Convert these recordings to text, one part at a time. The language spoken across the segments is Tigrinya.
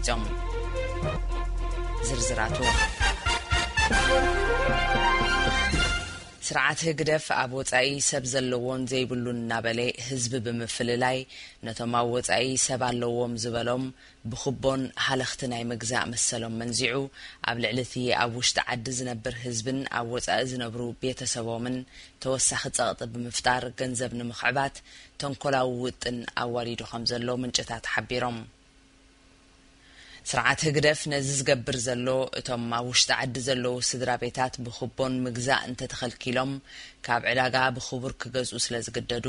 ዞም ዝርዝራቱ። ስርዓት ህግደፍ ኣብ ወጻኢ ሰብ ዘለዎን ዘይብሉን እናበለ ህዝቢ ብምፍልላይ፣ ነቶም ኣብ ወጻኢ ሰብ ኣለዎም ዝበሎም ብኹቦን ሃለኽቲ ናይ ምግዛእ መሰሎም መንዚዑ፣ ኣብ ልዕሊ እቲ ኣብ ውሽጢ ዓዲ ዝነብር ህዝብን ኣብ ወጻኢ ዝነብሩ ቤተሰቦምን ተወሳኺ ጸቕጢ ብምፍጣር ገንዘብ ንምኽዕባት ተንኮላዊ ውጥን ኣዋዲዱ ከም ዘሎ ምንጭታት ሓቢሮም። ስርዓት ህግደፍ ነዚ ዝገብር ዘሎ፣ እቶም ኣብ ውሽጢ ዓዲ ዘለዉ ስድራ ቤታት ብኹቦን ምግዛእ እንተተኸልኪሎም፣ ካብ ዕዳጋ ብኽቡር ክገዝኡ ስለ ዝግደዱ፣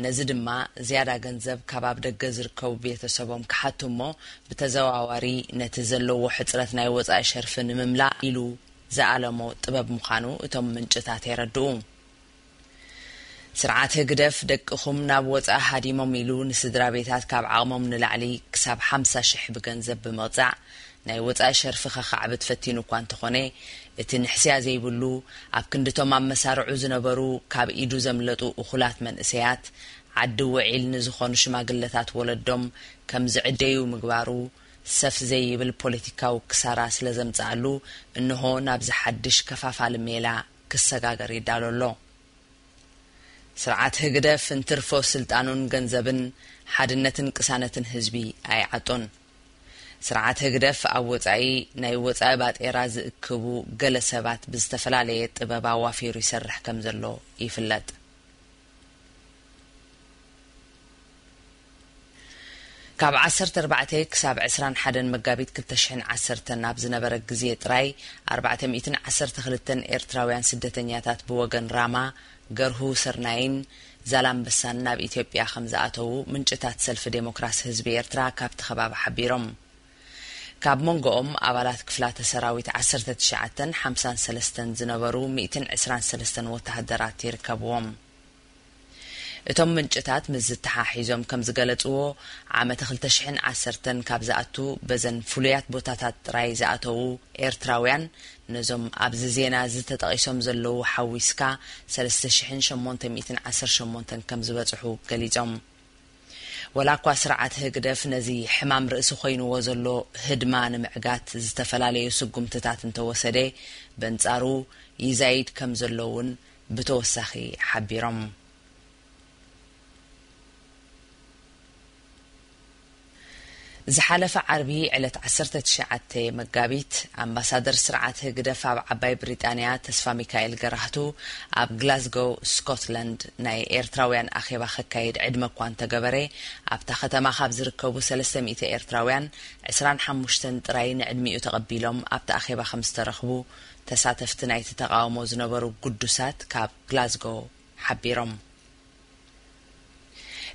ነዚ ድማ ዝያዳ ገንዘብ ካብ ኣብ ደገ ዝርከቡ ቤተሰቦም ክሓቱ እሞ፣ ብተዘዋዋሪ ነቲ ዘለዎ ሕጽረት ናይ ወጻኢ ሸርፊ ንምምላእ ኢሉ ዝኣለሞ ጥበብ ምዃኑ እቶም ምንጭታት የረድኡ። ስርዓት ህግደፍ ደቅኹም ናብ ወጻኢ ሃዲሞም ኢሉ ንስድራ ቤታት ካብ ዓቕሞም ንላዕሊ ክሳብ ሓምሳ ሽሕ ብገንዘብ ብምቕጻዕ ናይ ወጻኢ ሸርፊ ከኻዕብት ፈቲኑ እኳ እንተኾነ፣ እቲ ንሕስያ ዘይብሉ ኣብ ክንድቶም ኣብ መሳርዑ ዝነበሩ ካብ ኢዱ ዘምለጡ እኹላት መንእሰያት ዓዲ ውዒል ንዝኾኑ ሽማግለታት ወለዶም ከም ዝዕደዩ ምግባሩ ሰፍ ዘይብል ፖለቲካዊ ክሳራ ስለ ዘምጽኣሉ፣ እንሆ ናብዚ ሓድሽ ከፋፋሊ ሜላ ክሰጋገር ይዳሎ ኣሎ። ስርዓት ህግደፍ እንትርፎ ስልጣኑን ገንዘብን ሓድነትን ቅሳነትን ህዝቢ ኣይዓጦን። ስርዓት ህግደፍ ኣብ ወጻኢ ናይ ወጻኢ ባጤራ ዝእክቡ ገለ ሰባት ብዝተፈላለየ ጥበብ ኣዋፊሩ ይሰርሕ ከም ዘሎ ይፍለጥ። ካብ ዓሰርተ ኣርባዕተ ክሳብ ዕስራን ሓደን መጋቢት ክልተ ሽሕን ዓሰርተን ኣብ ዝነበረ ግዜ ጥራይ፣ ኣርባዕተ ሚእትን ዓሰርተ ክልተን ኤርትራውያን ስደተኛታት ብወገን ራማ፣ ገርሁ ስርናይን ዛላምበሳን ናብ ኢትዮጵያ ከም ዝኣተዉ ምንጭታት ሰልፊ ዴሞክራሲ ህዝቢ ኤርትራ ካብቲ ከባቢ ሓቢሮም። ካብ መንጎኦም ኣባላት ክፍላተ ሰራዊት ዓሰርተ ትሽዓተን ሓምሳን ሰለስተን ዝነበሩ ሚእትን ዕስራን ሰለስተን ወተሃደራት ይርከብዎም። እቶም ምንጭታት ምስ ዝተሓሒዞም ከም ዝገለጽዎ፣ ዓመተ ክልተ ሽሕን ዓሰርተን ካብ ዝኣቱ በዘን ፍሉያት ቦታታት ጥራይ ዝኣተዉ ኤርትራውያን፣ ነዞም ኣብዚ ዜና እዚ ተጠቒሶም ዘለዉ ሓዊስካ፣ ሰለስተ ሽሕን ሸሞንተ ሚእትን ዓሰርተ ሸሞንተን ከም ዝበጽሑ ገሊጾም። ወላ እኳ ስርዓት ህግደፍ ነዚ ሕማም ርእሲ ኮይንዎ ዘሎ ህድማ ንምዕጋት ዝተፈላለዩ ስጉምትታት እንተወሰደ፣ በንጻሩ ይዛይድ ከም ዘሎ እውን ብተወሳኺ ሓቢሮም። ዝሓለፈ ዓርቢ ዕለት ዓሰርተ ትሽዓተ መጋቢት፣ ኣምባሳደር ስርዓት ህግደፍ ኣብ ዓባይ ብሪጣንያ ተስፋ ሚካኤል ገራህቱ ኣብ ግላስጎው ስኮትላንድ ናይ ኤርትራውያን ኣኼባ ከካይድ ዕድመ እኳ እንተገበረ፣ ኣብታ ከተማ ካብ ዝርከቡ ሰለስተ ሚእቲ ኤርትራውያን ዕስራን ሓሙሽተን ጥራይ ንዕድሚኡ ተቐቢሎም ኣብቲ ኣኼባ ከም ዝተረኽቡ ተሳተፍቲ ናይቲ ተቓውሞ ዝነበሩ ግዱሳት ካብ ግላስጎው ሓቢሮም።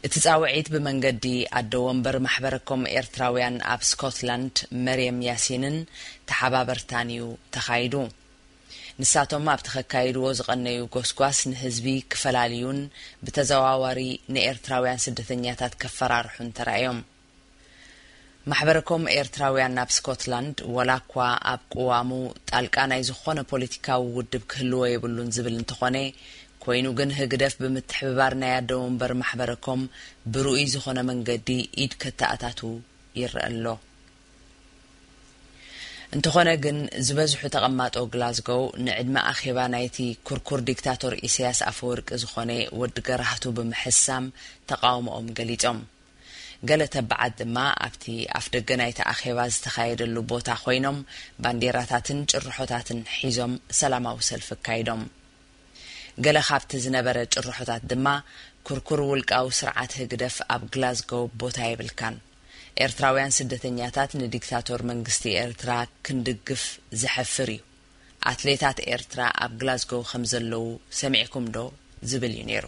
እቲ ጻውዒት ብመንገዲ ኣደ ወንበር ማሕበረኮም ኤርትራውያን ኣብ ስኮትላንድ መርየም ያሲንን ተሓባበርታን እዩ ተኻይዱ። ንሳቶም ኣብቲ ከካይድዎ ዝቐነዩ ጎስጓስ ንህዝቢ ክፈላልዩን ብተዘዋዋሪ ንኤርትራውያን ስደተኛታት ከፈራርሑን ተራእዮም። ማሕበረኮም ኤርትራውያን ናብ ስኮትላንድ፣ ወላ እኳ ኣብ ቅዋሙ ጣልቃ ናይ ዝኾነ ፖለቲካዊ ውድብ ክህልዎ የብሉን ዝብል እንተኾነ፣ ኮይኑ ግን ህግደፍ ብምትሕብባር ናይ ኣደ ወንበር ማሕበረኮም ብርኡይ ዝኾነ መንገዲ ኢድ ከተኣታቱ ይረአ ኣሎ። እንተኾነ ግን፣ ዝበዝሑ ተቐማጦ ግላስጎው ንዕድመ ኣኼባ ናይቲ ኩርኩር ዲክታቶር ኢሳያስ ኣፈወርቂ ዝኾነ ወዲ ገራህቱ ብምሕሳም ተቓውሞኦም ገሊጾም። ገለ ተባዓት ድማ ኣብቲ ኣፍደገ ናይቲ ኣኼባ ዝተኻየደሉ ቦታ ኮይኖም፣ ባንዴራታትን ጭርሖታትን ሒዞም ሰላማዊ ሰልፊ ኣካይዶም። ገለ ካብቲ ዝነበረ ጭርሖታት ድማ፣ ኩርኩር ውልቃዊ ስርዓት ህግደፍ ኣብ ግላስጎው ቦታ የብልካን፣ ኤርትራውያን ስደተኛታት ንዲክታቶር መንግስቲ ኤርትራ ክንድግፍ ዘሕፍር እዩ፣ ኣትሌታት ኤርትራ ኣብ ግላስጎው ከም ዘለዉ ሰሚዕኩም ዶ? ዝብል እዩ ነይሩ።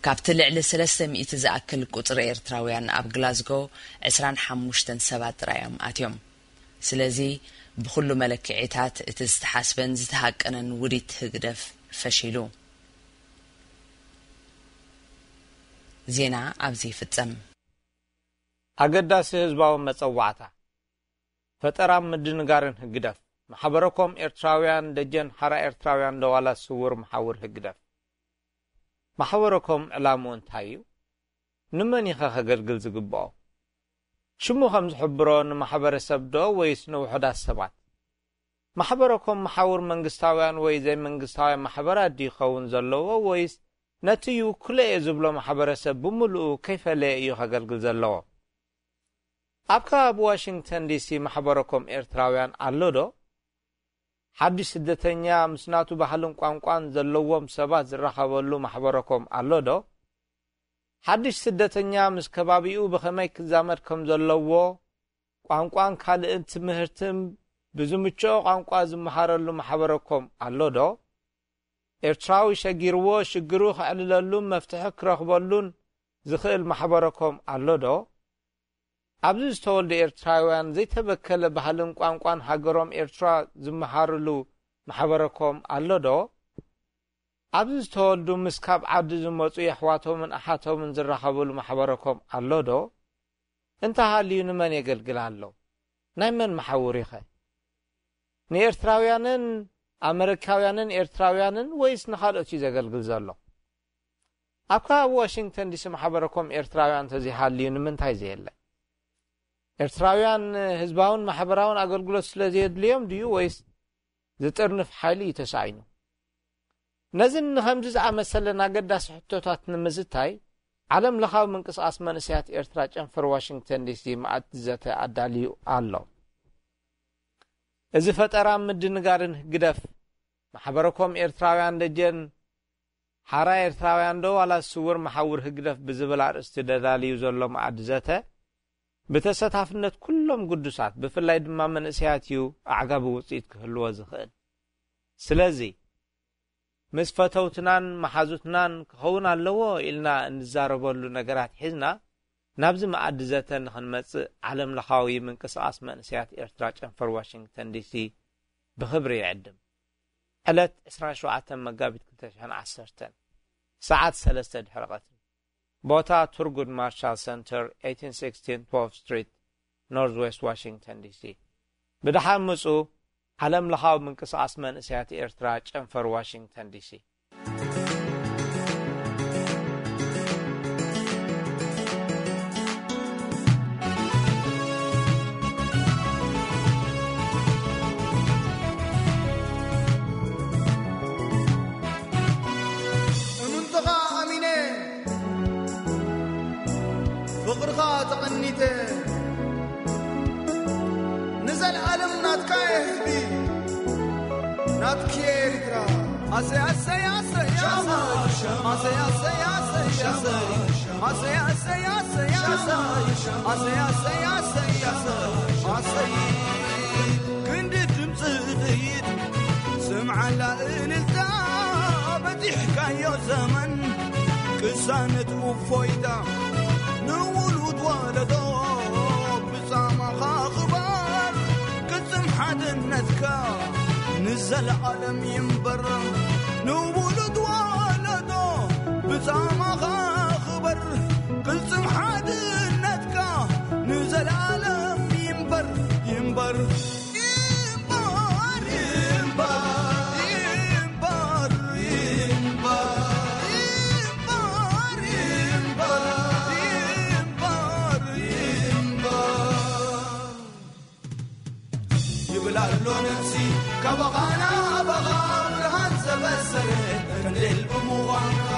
ካብቲ ልዕሊ ሰለስተ ሚእቲ ዝኣክል ቁጽሪ ኤርትራውያን ኣብ ግላስጎ፣ ዕስራን ሓሙሽተን ሰባት ጥራይ እዮም ኣትዮም። ስለዚ፣ ብኹሉ መለክዒታት እቲ ዝተሓስበን ዝተሃቀነን ውዲት ህግደፍ ፈሺሉ። ዜና ኣብዚ ይፍጸም። ኣገዳሲ ህዝባዊ መጸዋዕታ። ፈጠራን ምድንጋርን ህግደፍ። ማሕበረኮም ኤርትራውያን ደጀን ሓራ ኤርትራውያን ደዋላት ስዉር መሓውር ህግደፍ። ማሕበረኮም ዕላምኡ እንታይ እዩ? ንመን ኢኸ ከገልግል ዝግብኦ? ሽሙ ከም ዝሕብሮ ንማሕበረሰብ ዶ ወይስ ንውሑዳት ሰባት? ማሕበረኮም መሓውር መንግስታውያን ወይ ዘይመንግስታውያን ማሕበራት ድዩ ክኸውን ዘለዎ ወይስ ነቲ ይውክሎ እየ ዝብሎ ማሕበረሰብ ብምሉኡ ከይፈለየ እዩ ከገልግል ዘለዎ? ኣብ ከባቢ ዋሽንግተን ዲሲ ማሕበረኮም ኤርትራውያን ኣሎ ዶ? ሓድሽ ስደተኛ ምስ ናቱ ባህልን ቋንቋን ዘለዎም ሰባት ዝራኸበሉ ማሕበረኮም ኣሎ ዶ? ሓድሽ ስደተኛ ምስ ከባቢኡ ብኸመይ ክዛመድ ከም ዘለዎ፣ ቋንቋን ካልእን ትምህርትን ብዝምችኦ ቋንቋ ዝመሃረሉ ማሕበረኮም ኣሎ ዶ? ኤርትራዊ ሸጊርዎ ሽግሩ ከዕልለሉን መፍትሒ ክረኽበሉን ዝኽእል ማሕበረኮም ኣሎ ዶ? ኣብዚ ዝተወልዱ ኤርትራውያን ዘይተበከለ ባህልን ቋንቋን ሃገሮም ኤርትራ ዝመሃርሉ ማሕበረኮም ኣሎ ዶ? ኣብዚ ዝተወልዱ ምስ ካብ ዓዲ ዝመጹ የሕዋቶምን ኣሓቶምን ዝራኸብሉ ማሕበረኮም ኣሎ ዶ? እንተሃልዩ ንመን የገልግል ኣሎ? ናይ መን መሓውር ኢኸ? ንኤርትራውያንን ኣመሪካውያንን ኤርትራውያንን ወይስ ንኻልኦት እዩ ዘገልግል ዘሎ? ኣብ ከባቢ ዋሽንግተን ዲሲ ማሕበረኮም ኤርትራውያን እንተዘይሃልዩ ንምንታይ ዘየለ? ኤርትራውያን ህዝባውን ማሕበራውን ኣገልግሎት ስለ ዘየድልዮም ድዩ ወይስ ዝጥርንፍ ሓይሊ እዩ ተሳኢኑ? ነዝን ንኸምዚ ዝኣመሰለን ኣገዳሲ ሕቶታት ንምዝታይ ዓለም ለኻዊ ምንቅስቓስ መንእሰያት ኤርትራ ጨንፈር ዋሽንግተን ዲሲ መኣዲ ዘተ ኣዳልዩ ኣሎ። እዚ ፈጠራ ምድንጋርን ህግደፍ ማሕበረኮም ኤርትራውያን ደጀን ሓራ ኤርትራውያን ዶ ዋላ ስውር መሓውር ህግደፍ ብዝብል ኣርእስቲ ደዳልዩ ዘሎ መኣዲ ዘተ ብተሰታፍነት ኩሎም ግዱሳት ብፍላይ ድማ መንእሰያት እዩ ኣዕጋቢ ውፅኢት ክህልዎ ዝኽእል። ስለዚ ምስ ፈተውትናን መሓዙትናን ክኸውን ኣለዎ ኢልና እንዛረበሉ ነገራት ሒዝና ናብዚ መኣዲ ዘተ ንኽንመጽእ ዓለም ለኻዊ ምንቅስቓስ መንእሰያት ኤርትራ ጨንፈር ዋሽንግተን ዲሲ ብኽብሪ ይዕድም። ዕለት ዕስራን ሸውዓተን መጋቢት ክልተ ሽሕን ዓሰርተን ሰዓት ሰለስተ ድሕሪ ቀትሪ። ቦታ ቱርጉድ ማርሻል ሰንተር፣ eighteen sixteen twelfth ስትሪት፣ ኖርዝ ዌስት ዋሽንግተን ዲሲ። ብደሓን ምጹ። ዓለም ለኻዊ ምንቅስቓስ መንእሰያት ኤርትራ ጨንፈር ዋሽንግተን ዲሲ። እምንትኻ ኣሚነ፣ ፍቕርኻ ተቐኒተ፣ ንዘለኣለም ናትካ እየ ህዝቢ፣ ናትኪ እየ ኤርትራ። ኣሰይ፣ ኣሰይ፣ ኣሰይ፣ ኣሰይ። ኣሰይ፣ ኣሰይ፣ ኣሰይ፣ ኣሰይ። ኣሰይ፣ ኣሰይ፣ ኣሰይ፣ ኣሰይ። ኣሰይ፣ ኣሰይ፣ ኣሰይ፣ ኣሰይ። ኣሰይ፣ ክንዲ ድምፂ ጥይት ስምዓላ እልልታ በፂሕካዮ ዘመን ቅሳነት እፎይታ ንውሉድ ወለዶ ብጻማኻ ክበር ቅጽም ሓድነትካ ንዘለዓለም ይንበር ንውሉድ ወለዶ ብጻማኻ ክበር ቅጽም ሓድነትካ ንዘለዓለም ይንበር ይንበር ይብል ኣሎ ነፍሲ ካባኻ ናባኻ ብርሃን ዘበሰረ ቀንዴል ብምዃንካ።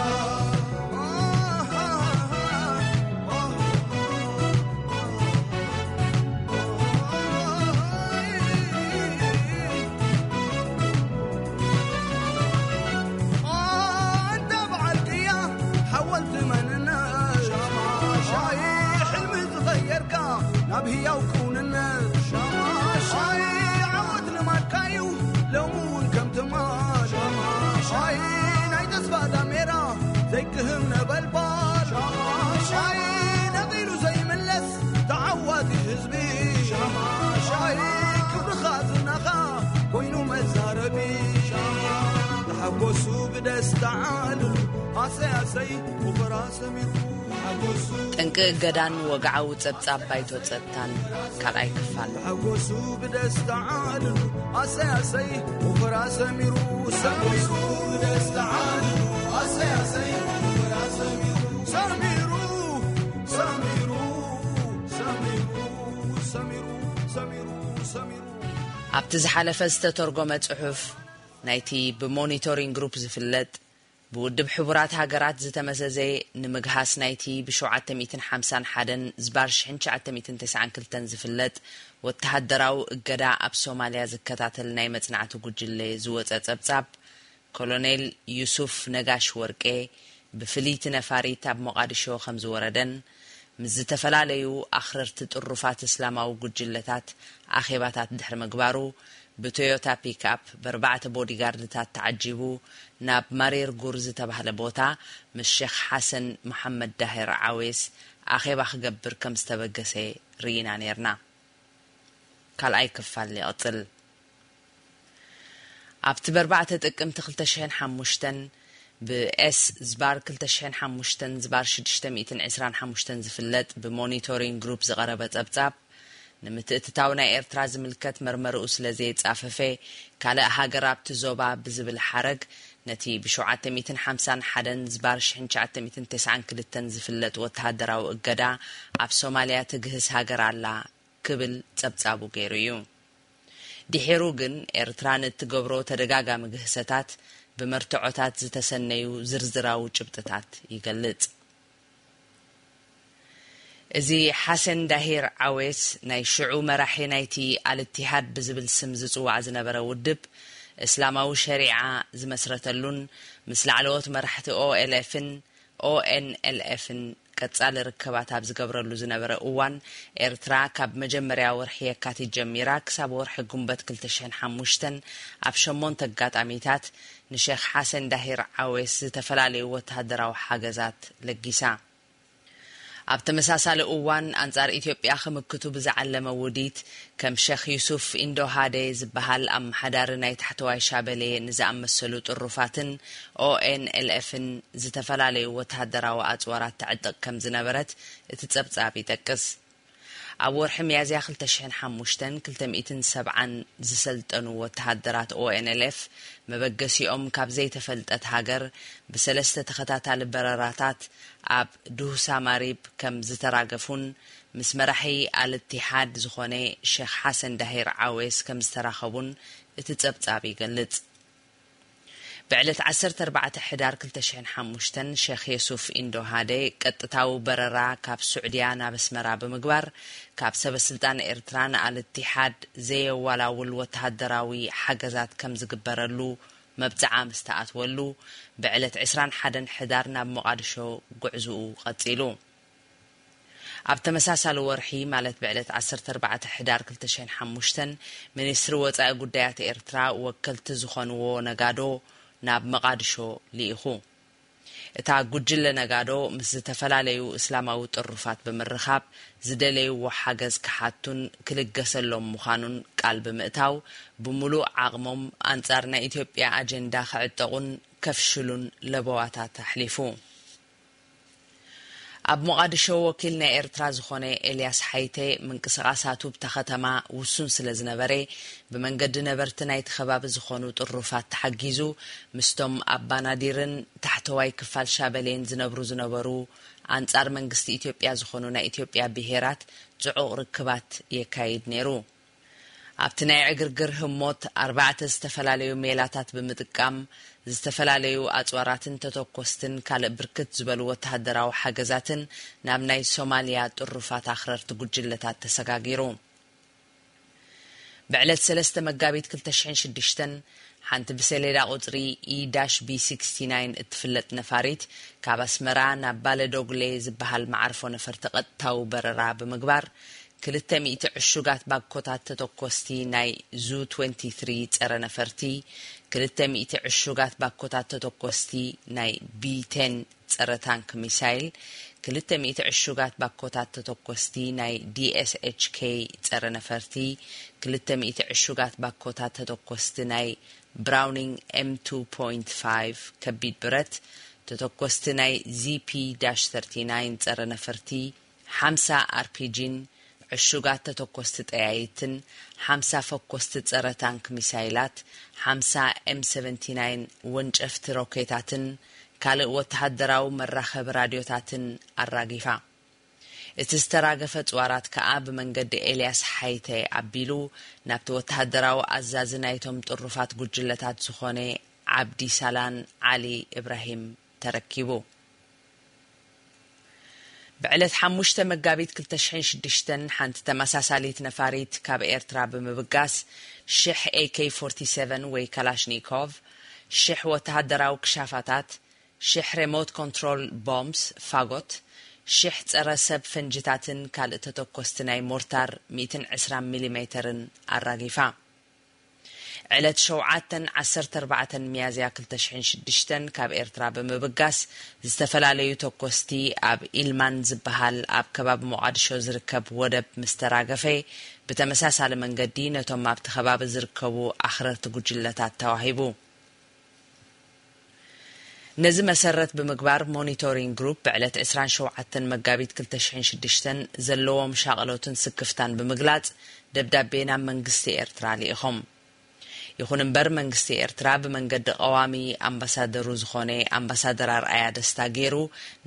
ኣንታ በዓል ቅያ ሓወልቲ መንነት ሻማሻይ ሕልሚ ዝቐየርካ ናብ ህያው ክውንነት ሻማሻይ ዓወት ልማድካዩ ሎሚ እውን ከም ትማል ሻማሻይ ናይ ተስፋ ዳሜራ ዘይክህም ነበልባል ሻማሻይ ነቒሉ ዘይምለስ ተዓዋቲ ህዝቢ ሻማሻይ ክብርኻ ዝናኻ ኮይኑ መዛረቢ ተሓጎሱ ብደስታ ዓልሉ ኣሰይ ኣሰይ ውፈራ ሰሚሩ ተሓጎሱ ጠንቂ እገዳን ወግዓዊ ጸብጻብ ባይቶ ጸጥታን ካልኣይ ክፋል። ተሓጎሱ ብደስታ ዓልሉ ኣሰይ ኣሰይ ውፈራ ሰሚሩ ሰሚሩ ብደስታ ዓልሉ ኣሰይ ኣሰይ ውፈራ ሰሚሩ ሰሚሩ ሰሚሩ ሰሚሩ ኣብቲ ዝሓለፈ ዝተተርጎመ ጽሑፍ ናይቲ ብሞኒቶሪንግ ግሩፕ ዝፍለጥ ብውድብ ሕቡራት ሃገራት ዝተመዘዘ ንምግሃስ ናይቲ ብ751 ዝባር 1992 ዝፍለጥ ወተሃደራዊ እገዳ ኣብ ሶማልያ ዝከታተል ናይ መጽናዕቲ ጉጅለ ዝወጸ ጸብጻብ፣ ኮሎኔል ዩሱፍ ነጋሽ ወርቄ ብፍልይቲ ነፋሪት ኣብ ሞቓዲሾ ከም ዝወረደን ምስ ዝተፈላለዩ ኣኽረርቲ ጥሩፋት እስላማዊ ጉጅለታት ኣኼባታት ድሕሪ ምግባሩ፣ ብቶዮታ ፒክኣፕ ብኣርባዕተ ቦዲጋርድታት ተዓጂቡ ናብ ማሬር ጉር ዝተባህለ ቦታ ምስ ሼኽ ሓሰን መሓመድ ዳሄር ዓዌስ ኣኼባ ክገብር ከም ዝተበገሰ ርኢና ነይርና። ካልኣይ ክፋል ይቕጽል። ኣብቲ ብ4 ጥቅምቲ 2005 ብኤስ ዝባር 2005 ዝባር 625 ዝፍለጥ ብሞኒቶሪንግ ግሩፕ ዝቐረበ ጸብጻብ፣ ንምትእትታው ናይ ኤርትራ ዝምልከት መርመርኡ ስለ ዘየጻፈፈ፣ ካልእ ሃገር ኣብቲ ዞባ ብዝብል ሓረግ፣ ነቲ ብ751 ዝባር 1992 ዝፍለጥ ወተሃደራዊ እገዳ ኣብ ሶማልያ ትግህስ ሃገር ኣላ ክብል ጸብጻቡ ገይሩ እዩ። ድሒሩ ግን ኤርትራ ንእትገብሮ ተደጋጋሚ ግህሰታት ብመርትዖታት ዝተሰነዩ ዝርዝራዊ ጭብጥታት ይገልጽ። እዚ ሓሰን ዳሂር ዓዌስ ናይ ሽዑ መራሒ ናይቲ ኣልእትሃድ ብዝብል ስም ዝጽዋዕ ዝነበረ ውድብ እስላማዊ ሸሪዓ ዝመስረተሉን ምስ ላዕለዎት መራሕቲ ኦኤልኤፍን ኦኤንኤልኤፍን ቀጻሊ ርክባት ኣብ ዝገብረሉ ዝነበረ እዋን፣ ኤርትራ ካብ መጀመርያ ወርሒ የካቲት ጀሚራ ክሳብ ወርሒ ጉንበት 2005 ኣብ ሸሞንተ ኣጋጣሚታት ንሼኽ ሓሰን ዳሂር ዓዌስ ዝተፈላለዩ ወተሃደራዊ ሓገዛት ለጊሳ። ኣብ ተመሳሳሊ እዋን፣ ኣንጻር ኢትዮጵያ ክምክቱ ብዝዓለመ ውዲት፣ ከም ሼኽ ዩሱፍ ኢንዶሃዴ ዝበሃል ኣመሓዳሪ ናይ ታሕተዋይ ሻበሌ ንዝኣመሰሉ ጥሩፋትን ኦኤንኤልኤፍን ዝተፈላለዩ ወተሃደራዊ ኣጽዋራት ተዕጥቕ ከም ዝነበረት እቲ ጸብጻብ ይጠቅስ። ኣብ ወርሒ ሚያዝያ 2005፣ 270 ዝሰልጠኑ ወተሃደራት ኦኤንኤልኤፍ መበገሲኦም ካብ ዘይተፈልጠት ሃገር ብሰለስተ ተኸታታሊ በረራታት ኣብ ዱህሳ ማሪብ ከም ዝተራገፉን ምስ መራሒ ኣልእትሃድ ዝኾነ ሼኽ ሓሰን ዳሂር ዓዌስ ከም ዝተራኸቡን እቲ ጸብጻብ ይገልጽ። ብዕለት 14 ሕዳር 2005፣ ሼኽ የሱፍ ኢንዶሃዴ ቀጥታዊ በረራ ካብ ሱዕድያ ናብ ኣስመራ ብምግባር፣ ካብ ሰበስልጣን ኤርትራ ንኣልእትሃድ ዘየዋላውል ወተሃደራዊ ሓገዛት ከም ዝግበረሉ መብጽዓ ምስ ተኣትወሉ፣ ብዕለት 21 ሕዳር ናብ ሞቓድሾ ጉዕዝኡ ቀጺሉ። ኣብ ተመሳሳሊ ወርሒ፣ ማለት ብዕለት 14 ሕዳር 2005፣ ሚኒስትሪ ወጻኢ ጉዳያት ኤርትራ ወከልቲ ዝኾንዎ ነጋዶ ናብ መቓድሾ ልኢኹ። እታ ጉጅለ ነጋዶ ምስ ዝተፈላለዩ እስላማዊ ጥሩፋት ብምርኻብ ዝደለይዎ ሓገዝ ክሓቱን ክልገሰሎም ምዃኑን ቃል ብምእታው፣ ብምሉእ ዓቕሞም ኣንጻር ናይ ኢትዮጵያ ኣጀንዳ ክዕጠቑን ከፍሽሉን ለበዋታት ኣሕሊፉ። ኣብ ሞቓድሾ ወኪል ናይ ኤርትራ ዝኾነ ኤልያስ ሓይተ፣ ምንቅስቓሳቱ ብታ ከተማ ውሱን ስለ ዝነበረ፣ ብመንገዲ ነበርቲ ናይቲ ከባቢ ዝኾኑ ጥሩፋት ተሓጊዙ፣ ምስቶም ኣብ ባናዲርን ታሕተዋይ ክፋል ሻበሌን ዝነብሩ ዝነበሩ ኣንጻር መንግስቲ ኢትዮጵያ ዝኾኑ ናይ ኢትዮጵያ ብሄራት ጽዑቕ ርክባት የካይድ ነይሩ። ኣብቲ ናይ ዕግርግር ህሞት፣ ኣርባዕተ ዝተፈላለዩ ሜላታት ብምጥቃም፣ ዝተፈላለዩ ኣጽዋራትን ተተኮስትን ካልእ ብርክት ዝበሉ ወተሃደራዊ ሓገዛትን ናብ ናይ ሶማልያ ጥሩፋት ኣኽረርቲ ጉጅለታት ተሰጋጊሩ። ብዕለት 3 መጋቢት 2006፣ ሓንቲ ብሰሌዳ ቁጽሪ ኢ ዳሽ ቢ69 እትፍለጥ ነፋሪት፣ ካብ ኣስመራ ናብ ባለዶግሌ ዝበሃል መዓርፎ ነፈርቲ ቀጥታዊ በረራ ብምግባር፣ 200 ዕሹጋት ባኮታት ተተኮስቲ ናይ ዙ 23 ጸረ ነፈርቲ፣ 200 ዕሹጋት ባኮታት ተተኮስቲ ናይ ቢ ቴን ጸረ ታንክ ሚሳይል፣ 200 ዕሹጋት ባኮታት ተተኮስቲ ናይ ዲ ኤስ ኤች ኬ ጸረ ነፈርቲ፣ 200 ዕሹጋት ባኮታት ተተኮስቲ ናይ ብራውኒንግ ኤም ቱ ፖይንት ፋይቭ ከቢድ ብረት፣ ተተኮስቲ ናይ ዚ ፒ ዳሽ ሰርቲናይን ጸረ ነፈርቲ፣ ሓምሳ ኣር ፒ ጂን ዕሹጋት ተተኮስቲ ጠያይትን፣ ሓምሳ ፈኮስቲ ጸረ ታንክ ሚሳይላት፣ ሓምሳ ኤም ሰቨንቲ ናይን ወንጨፍቲ ሮኬታትን ካልእ ወተሃደራዊ መራኸቢ ራድዮታትን ኣራጊፋ። እቲ ዝተራገፈ ጽዋራት ከኣ ብመንገዲ ኤልያስ ሓይተ ኣቢሉ ናብቲ ወተሃደራዊ ኣዛዚ ናይቶም ጥሩፋት ጉጅለታት ዝኾነ ዓብዲ ሳላን ዓሊ ኢብራሂም ተረኪቡ። ብዕለት ሓሙሽተ መጋቢት ክልተ ሽሕን ሽዱሽተን ሓንቲ ተመሳሳሊት ነፋሪት ካብ ኤርትራ ብምብጋስ ሽሕ ኤ ኬ ፎርቲ ሰቨን ወይ ካላሽኒኮቭ፣ ሽሕ ወተሃደራዊ ክሻፋታት፣ ሽሕ ሬሞት ኮንትሮል ቦምብስ ፋጎት፣ ሽሕ ጸረ ሰብ ፈንጅታትን ካልእ ተተኮስቲ ናይ ሞርታር ሚእትን ዕስራን ሚሊሜተርን ኣራጊፋ። ዕለት ሸውዓተን ዓሰርተ ኣርባዕተን ሚያዝያ ክልተ ሽሕን ሽዱሽተን ካብ ኤርትራ ብምብጋስ፣ ዝተፈላለዩ ተኮስቲ ኣብ ኢልማን ዝበሃል ኣብ ከባቢ ሞቓድሾ ዝርከብ ወደብ ምስ ተራገፈ፣ ብተመሳሳሊ መንገዲ ነቶም ኣብቲ ከባቢ ዝርከቡ ኣኽረርቲ ጉጅለታት ተዋሂቡ። ነዚ መሰረት ብምግባር፣ ሞኒቶሪንግ ግሩፕ ብዕለት ዕስራን ሸውዓተን መጋቢት ክልተ ሽሕን ሽዱሽተን ዘለዎም ሻቕሎትን ስክፍታን ብምግላጽ፣ ደብዳቤ ናብ መንግስቲ ኤርትራ ልኢኾም። ይኹን እምበር፣ መንግስቲ ኤርትራ ብመንገዲ ቀዋሚ ኣምባሳደሩ ዝኾነ ኣምባሳደር ኣርኣያ ደስታ ገይሩ፣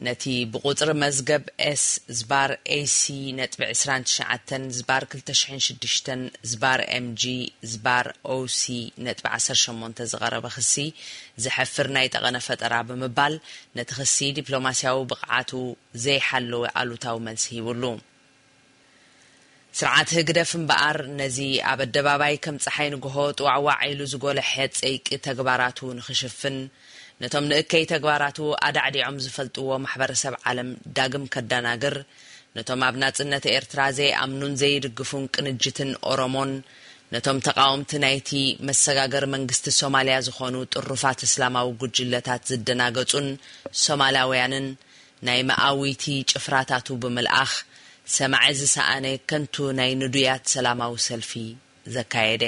ነቲ ብቁጽሪ መዝገብ ኤስ ዝባር ኤ ሲ ነጥቢ ዕስራን ትሽዓተን ዝባር ክልተ ሽሕን ሽዱሽተን ዝባር ኤም ጂ ዝባር ኦ ሲ ነጥቢ ዓሰርተ ሸሞንተ ዝቐረበ ክሲ ዘሕፍር ናይ ጠቐነ ፈጠራ ብምባል፣ ነቲ ክሲ ዲፕሎማስያዊ ብቕዓቱ ዘይሓለወ ኣሉታዊ መልሲ ሂቡሉ። ስርዓት ህግደፍ እምበኣር፣ ነዚ ኣብ ኣደባባይ ከም ጸሓይ ንግሆ ጥዋዕዋዕ ኢሉ ዝጎለሐ ጸይቂ ተግባራቱ ንኽሽፍን፣ ነቶም ንእከይ ተግባራቱ ኣዳዕዲዖም ዝፈልጥዎ ማሕበረሰብ ዓለም ዳግም ከዳናግር፣ ነቶም ኣብ ናጽነት ኤርትራ ዘይኣምኑን ዘይድግፉን ቅንጅትን ኦሮሞን፣ ነቶም ተቓወምቲ ናይቲ መሰጋገሪ መንግስቲ ሶማልያ ዝኾኑ ጥሩፋት እስላማዊ ጉጅለታት ዝደናገጹን ሶማላውያንን ናይ መኣዊቲ ጭፍራታቱ ብምልኣኽ፣ ሰማዒ ዝሰኣነ ከንቱ ናይ ንዱያት ሰላማዊ ሰልፊ ዘካየደ።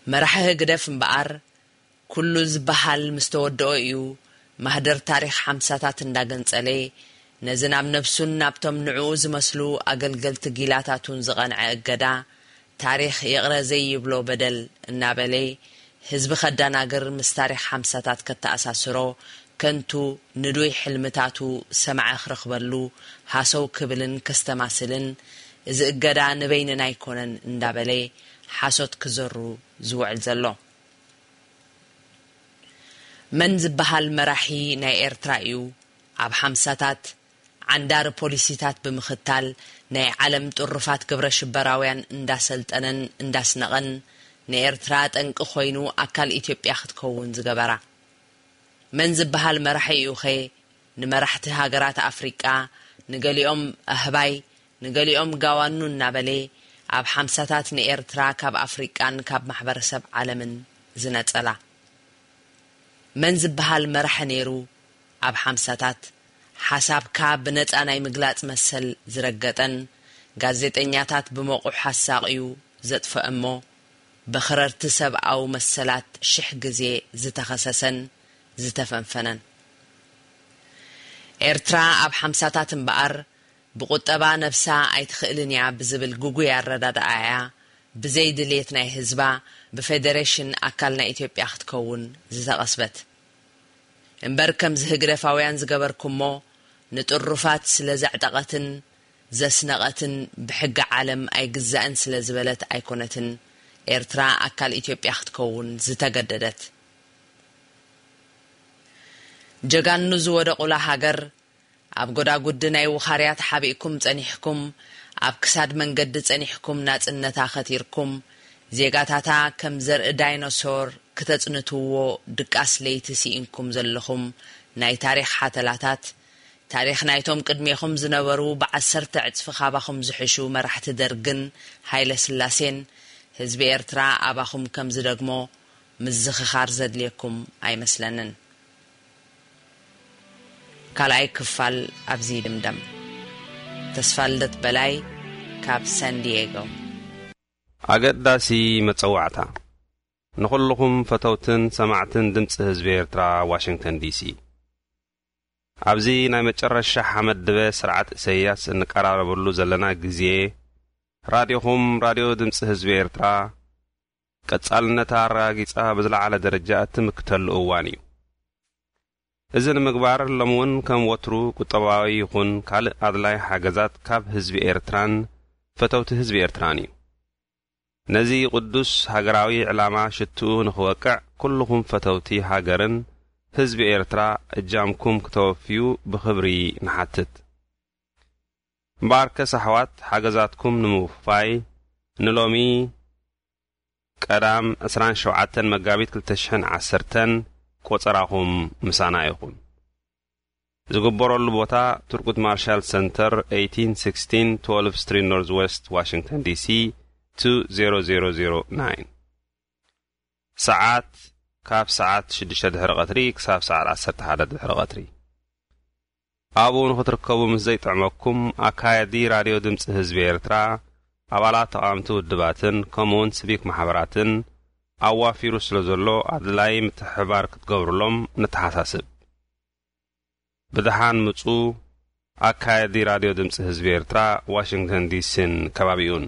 መራሒ ህግደፍ እምበኣር፣ ኩሉ ዝበሃል ምስ ተወድኦ እዩ፣ ማህደር ታሪኽ ሓምሳታት እንዳገንጸለ፣ ነዚ ናብ ነብሱን ናብቶም ንዕኡ ዝመስሉ ኣገልገልቲ ጊላታቱን ዝቐንዐ እገዳ፣ ታሪኽ ይቕረ ዘይብሎ በደል እናበለ፣ ህዝቢ ከዳናግር፣ ምስ ታሪኽ ሓምሳታት ከተኣሳስሮ፣ ከንቱ ንዱይ ሕልምታቱ ሰማዒ ክረኽበሉ፣ ሃሰው ክብልን ከስተማስልን፣ እዚ እገዳ ንበይንና ኣይኮነን እንዳበለ ሓሶት ክዘሩ ዝውዕል ዘሎ። መን ዝበሃል መራሒ ናይ ኤርትራ እዩ ኣብ ሓምሳታት ዓንዳሪ ፖሊሲታት ብምኽታል ናይ ዓለም ጥሩፋት ግብረ ሽበራውያን እንዳሰልጠነን እንዳስነቐን ንኤርትራ ጠንቂ ኮይኑ ኣካል ኢትዮጵያ ክትከውን ዝገበራ? መን ዝበሃል መራሒ እዩኸ ንመራሕቲ ሃገራት ኣፍሪቃ፣ ንገሊኦም ኣህባይ ንገሊኦም ጋዋኑ እናበለ ኣብ ሓምሳታት ንኤርትራ ካብ ኣፍሪቃን ካብ ማሕበረሰብ ዓለምን ዝነጸላ? መን ዝበሃል መራሒ ነይሩ ኣብ ሓምሳታት ሓሳብካ ብነጻ ናይ ምግላጽ መሰል ዝረገጠን ጋዜጠኛታት ብመቑሕ ኣሳቕዩ ዘጥፍአ እሞ ብኽረርቲ ሰብኣዊ መሰላት ሽሕ ግዜ ዝተኸሰሰን ዝተፈንፈነን? ኤርትራ ኣብ ሓምሳታት እምበኣር ብቁጠባ ነብሳ ኣይትኽእልን እያ ብዝብል ግጉይ ኣረዳድኣ እያ ብዘይ ድልየት ናይ ህዝባ ብፌደሬሽን ኣካል ናይ ኢትዮጵያ ክትከውን ዝተቐስበት። እምበር ከምዚ ህግደፋውያን ዝገበርኩሞ ንጥሩፋት ስለ ዘዕጠቐትን ዘስነቐትን ብሕጊ ዓለም ኣይግዛእን ስለ ዝበለት ኣይኮነትን ኤርትራ ኣካል ኢትዮጵያ ክትከውን ዝተገደደት። ጀጋኑ ዝወደቑላ ሃገር ኣብ ጎዳጉዲ ናይ ውኻርያ ተሓቢእኩም ጸኒሕኩም፣ ኣብ ክሳድ መንገዲ ጸኒሕኩም ናጽነታ ከቲርኩም፣ ዜጋታታ ከም ዘርኢ ዳይኖሶር ክተጽንትዎ ድቃስ ለይቲ ስኢንኩም ዘለኹም ናይ ታሪኽ ሓተላታት፣ ታሪኽ ናይቶም ቅድሜኹም ዝነበሩ ብዓሰርተ ዕጽፊ ካባኹም ዝሕሹ መራሕቲ ደርግን ሃይለ ስላሴን፣ ህዝቢ ኤርትራ ኣባኹም ከም ዝደግሞ ምዝኽኻር ዘድልየኩም ኣይመስለንን። ካልኣይ ክፋል ኣብዚ ይድምደም። ተስፋልደት በላይ ካብ ሳን ዲየጎ። ኣገዳሲ መጸዋዕታ ንኹልኹም ፈተውትን ሰማዕትን ድምፂ ህዝቢ ኤርትራ፣ ዋሽንግተን ዲሲ። ኣብዚ ናይ መጨረሻ ሓመድ ድበ ስርዓት ኢሳያስ እንቀራረበሉ ዘለና ግዜ፣ ራድዮኹም ራድዮ ድምፂ ህዝቢ ኤርትራ ቀጻልነታ ኣረጋጊጻ ብዝለዓለ ደረጃ እትምክተሉ እዋን እዩ። እዚ ንምግባር ሎሚ እውን ከም ወትሩ ቁጠባዊ ይኹን ካልእ ኣድላይ ሓገዛት ካብ ህዝቢ ኤርትራን ፈተውቲ ህዝቢ ኤርትራን እዩ። ነዚ ቅዱስ ሃገራዊ ዕላማ ሽትኡ ንኽወቅዕ ኩልኹም ፈተውቲ ሃገርን ህዝቢ ኤርትራ እጃምኩም ክተወፍዩ ብኽብሪ ንሓትት። እምበኣርከስ ኣሕዋት ሓገዛትኩም ንምውፋይ ንሎሚ ቀዳም ዕስራን ሸውዓተን መጋቢት ክልተ ሽሕን ዓሰርተን ቆጸራኹም ምሳና ይኹን። ዝግበረሉ ቦታ ቱርጉት ማርሻል ሰንተር፣ eighteen sixteen twelve Street Northwest፣ ዋሽንግተን ዲሲ፣ two zero zero zero nine። ሰዓት ካብ ሰዓት ሽዱሽተ ድሕሪ ቀትሪ ክሳብ ሰዓት ዓሰርተ ሓደ ድሕሪ ቀትሪ። ኣብኡ ንኽትርከቡ ምስ ዘይጥዕመኩም፣ ኣካየዲ ራድዮ ድምፂ ህዝቢ ኤርትራ፣ ኣባላት ተቓወምቲ ውድባትን ከምኡውን ሲቪክ ማሕበራትን ኣዋፊሩ ስለ ዘሎ ኣድላይ ምትሕብባር ክትገብሩሎም ንተሓሳስብ። ብደሓን ምጹ። ኣካየዲ ራድዮ ድምፂ ህዝቢ ኤርትራ፣ ዋሽንግተን ዲሲን ከባቢኡን።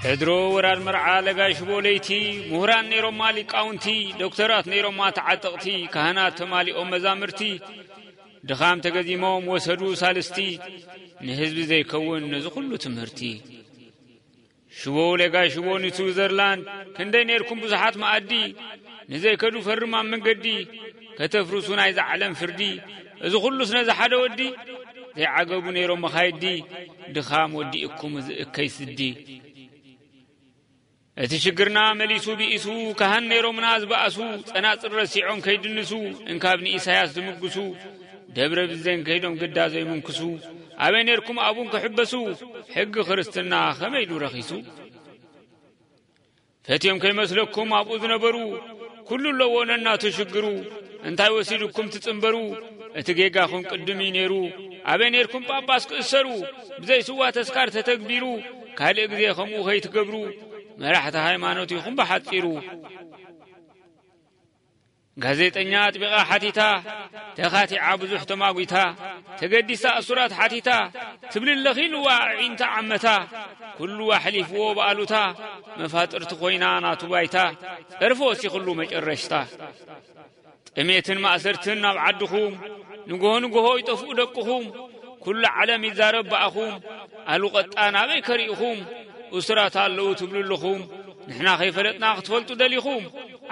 ሕድሮ ወራድ መርዓ ለጋይ ሽቦ ለይቲ፣ ምሁራን ነይሮማ ሊቃውንቲ፣ ዶክተራት ነይሮማ ተዓጠቕቲ፣ ካህናት ተማሊኦም መዛምርቲ፣ ድኻም ተገዚሞም ወሰዱ ሳልስቲ፣ ንህዝቢ ዘይከውን ነዚ ኩሉ ትምህርቲ። ሽቦ ለጋይ ሽቦ ንስዊዘርላንድ፣ ክንደይ ነይርኩም ብዙሓት መኣዲ፣ ንዘይከዱ ፈርም ኣብ መንገዲ፣ ከተፍርሱ ናይዛ ዓለም ፍርዲ፣ እዚ ኩሉስ ነዚ ሓደ ወዲ፣ ዘይዓገቡ ነይሮም መኻይዲ፣ ድኻም ወዲእኩም እዚ እከይ ስዲ። እቲ ሽግርና መሊሱ ብኢሱ፣ ካህን ነይሮምና ዝበኣሱ፣ ጸናጽል ረሲዖም ከይድንሱ፣ እንካብ ንኢሳያስ ዝምግሱ፣ ደብረ ብዘን ከይዶም ግዳ ዘይምንክሱ፣ ኣበይ ነይርኩም ኣብኡን ክሕበሱ፣ ሕጊ ክርስትና ከመይ ኢሉ ረኺሱ? ፈትዮም ከይመስለኩም ኣብኡ ዝነበሩ፣ ኩሉ ኣለዎ ነናቱ ሽግሩ። እንታይ ወሲድኩም ትጽንበሩ? እቲ ጌጋኹም ቅድም እዩ ነይሩ። ኣበይ ነይርኩም ጳጳስ ክእሰሩ? ብዘይ ስዋ ተስካር ተተግቢሩ፣ ካልእ ግዜ ከምኡ ከይትገብሩ፣ መራሕቲ ሃይማኖት ኢኹም ብሓጺሩ። ጋዜጠኛ ኣጥቢቓ ሓቲታ፣ ተኻቲዓ ብዙሕ ተማጒታ፣ ተገዲሳ እሱራት ሓቲታ፣ ትብል ኣለኺ ንዋ ኣዒንታ ዓመታ፣ ኩሉ ኣሕሊፍዎ ብኣሉታ፣ መፋጥርቲ ኮይና ናቱ ባይታ፣ ጸርፊ ወሲኽሉ መጨረሽታ። ጥሜትን ማእሰርትን ናብ ዓድኹም፣ ንግሆ ንግሆ ይጠፍኡ ደቅኹም፣ ኩሉ ዓለም ይዛረብ ብኣኹም፣ ኣሉ ቀጣ ናበይ ከሪእኹም፣ እሱራት ኣለዉ ትብሉ ኣለኹም፣ ንሕና ከይፈለጥና ክትፈልጡ ደሊኹም፣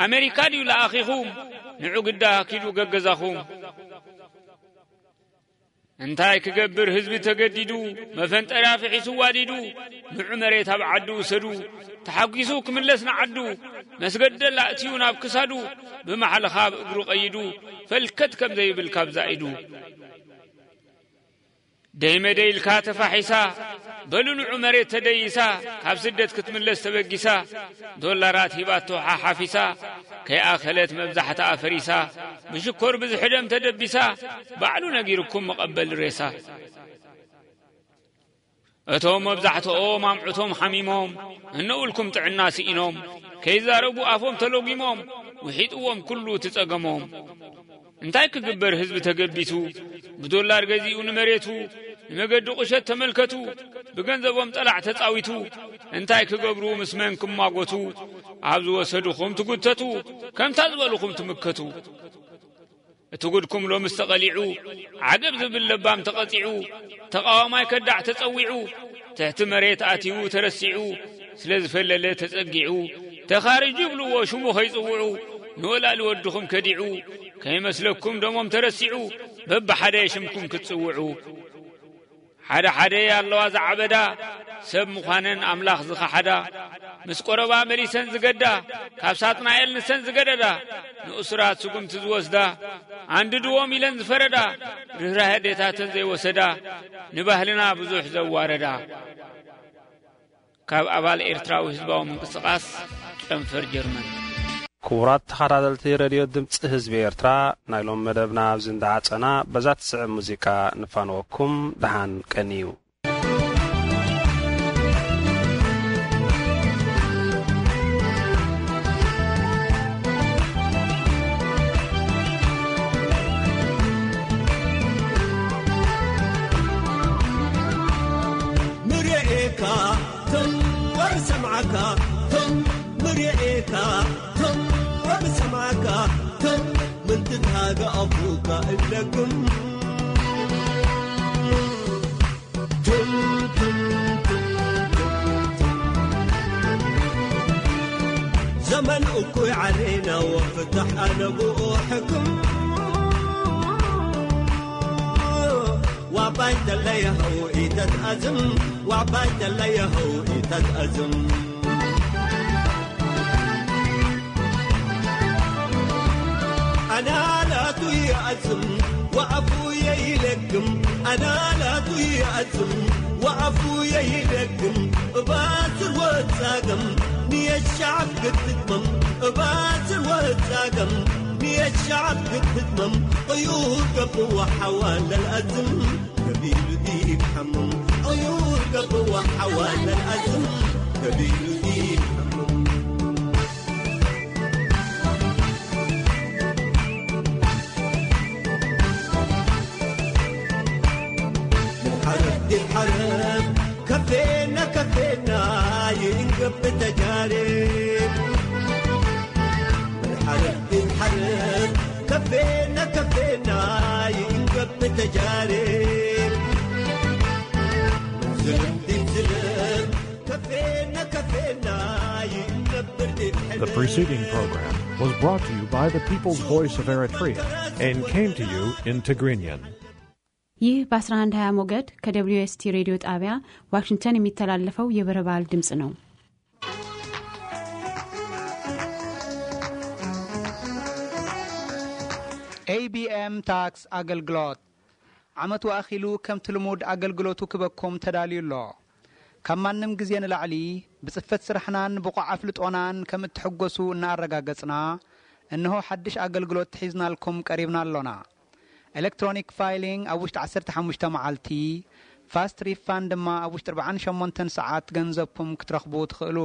ኣሜሪካ ድዩ ለኣኺኹም፣ ንዑ ግዳ ኪዱ ገገዛኹም። እንታይ ክገብር ህዝቢ ተገዲዱ፣ መፈንጠርያ ፍሒሱ ዋዲዱ፣ ንዑ መሬት ኣብ ዓዱ ውሰዱ፣ ተሓጒሱ ክምለስ ንዓዱ፣ መስገደላ እትዩ ናብ ክሳዱ፣ ብማሕለኻ ኣብ እግሩ ቀይዱ፣ ፈልከት ከም ዘይብል ካብ ዛኢዱ። ደይ መደይ ኢልካ ተፋሒሳ፣ በሉ ንዑ መሬት ተደይሳ፣ ካብ ስደት ክትምለስ ተበጊሳ፣ ዶላራት ሂባቶ ሓሓፊሳ፣ ከይኣኸለት መብዛሕትኣ ፈሪሳ፣ ብሽኮር ብዝሒ ደም ተደቢሳ፣ ባዕሉ ነጊርኩም መቐበሊ ሬሳ። እቶም መብዛሕትኦም ኣምዕቶም ሓሚሞም፣ እነውልኩም ጥዕና ስኢኖም፣ ከይዛረቡ ኣፎም ተሎጊሞም፣ ውሒጥዎም ኩሉ እቲ ጸገሞም። እንታይ ክግበር ህዝቢ ተገቢቱ፣ ብዶላር ገዚኡ ንመሬቱ፣ ንመገዲ ቁሸት ተመልከቱ፣ ብገንዘቦም ጠላዕ ተጻዊቱ፣ እንታይ ክገብሩ ምስ መን ክማጎቱ፣ ኣብ ዝወሰድኹም ትጉተቱ፣ ከምታ ዝበልኹም ትምከቱ። እቲ ጉድኩም ሎምስ ተቐሊዑ፣ ዓገብ ዝብል ለባም ተቐጺዑ፣ ተቓዋማይ ከዳዕ ተጸዊዑ፣ ትሕቲ መሬት ኣትዩ ተረሲዑ፣ ስለ ዝፈለለ ተጸጊዑ፣ ተኻርጅ ይብልዎ ሽሙ ከይጽውዑ፣ ንወላሊ ወድኹም ከዲዑ፣ ከይመስለኩም ደሞም ተረሲዑ፣ በብሓደ ሽምኩም ክትጽውዑ፣ ሓደ ሓደ ኣለዋ ዝዓበዳ፣ ሰብ ምዃነን ኣምላኽ ዝኸሓዳ፣ ምስ ቆረባ መሊሰን ዝገዳ፣ ካብ ሳጥናኤል ንሰን ዝገደዳ፣ ንእሱራት ስጉምቲ ዝወስዳ፣ ኣንድድዎም ኢለን ዝፈረዳ፣ ርህራሄ ኣዴታተን ዘይወሰዳ፣ ንባህልና ብዙሕ ዘዋረዳ። ካብ ኣባል ኤርትራዊ ህዝባዊ ምንቅስቓስ ጨንፈር ጀርመን። ክቡራት ተኸታተልቲ ሬድዮ ድምፂ ህዝቢ ኤርትራ፣ ናይ ሎም መደብና ኣብዚ እንዳዓጸና፣ በዛ ትስዕብ ሙዚቃ ንፋነወኩም። ደሓን ቀንዩ። ምርኤካ፣ ቶም ወር ሰምዓካ፣ ቶም ምርኤካ፣ ቶም ወር ሰምዓካ፣ ቶም ምንትታገ ኣፉካ እለግም። ቱም፣ ቱም፣ ቱም፣ ቱም፣ ቱም። ዘመን እኩይ ዓሌና ወፍታሕ ኣነ ብኡ ሕክም። ዋባይ ተለየኸው ኢተትኣዝም፣ ዋባይ ተለየኸው ኢተትኣዝም። ኣናላቱ ይኣዝም ወኣፉ የይለግም፣ ኣናላቱ ይኣዝም ወኣፉ የይለግም። እባስር ወጻገም ንየሻዕብ ክትትመም፣ እባስር ወጻገም ንየሻዕብ ክትትመም። ቅዩር ገብዋ ሓዋ ለልኣዝም ከቢሉ ዲብ ሓምም፣ ቅዩር ገብዋ ሓዋ ለልኣዝም ከቢሉ ዲብ ሓምም። ምን ሓረብ ዲብ ሓረብ ከፌና ከፌና ይእንገብ ተጃርብ። ምን ሓረብ ዲብ ሓረብ ከፌና ከፌና ይእንገብ ተጃርብ። ምን ዝልም ዲብ ዝልም ከፌና ከፌና ይእንገብር ዲብ ሕልም። The preceding program was brought to you by the People's Voice of Eritrea and came to you in Tigrinya. ይህ በ አስራ አንድ ሃያ ሞገድ ከ ደብሊው ኤስ ቲ ሬዲዮ ጣቢያ ዋሽንግተን የሚተላለፈው የበረባል ድምፅ ነው። ኤ ቢ ኤም ታክስ ኣገልግሎት ዓመቱ ኣኺሉ ከምቲ ልሙድ ኣገልግሎቱ ክበኩም ተዳልዩ ኣሎ። ካብ ማንም ግዜ ንላዕሊ ብጽፈት ስራሕናን ብቑዕ ኣፍልጦናን ከም እትሕጎሱ እናኣረጋገጽና፣ እንሆ ሓድሽ ኣገልግሎት ሒዝናልኩም ቀሪብና ኣሎና። ኤሌክትሮኒክ ፋይሊንግ ኣብ ውሽጢ ዓሰርተ ሓሙሽተ መዓልቲ፣ ፋስት ሪፋንድ ድማ ኣብ ውሽጢ ኣርብዓን ሸሞንተን ሰዓት ገንዘብኩም ክትረኽቡ ትኽእሉ።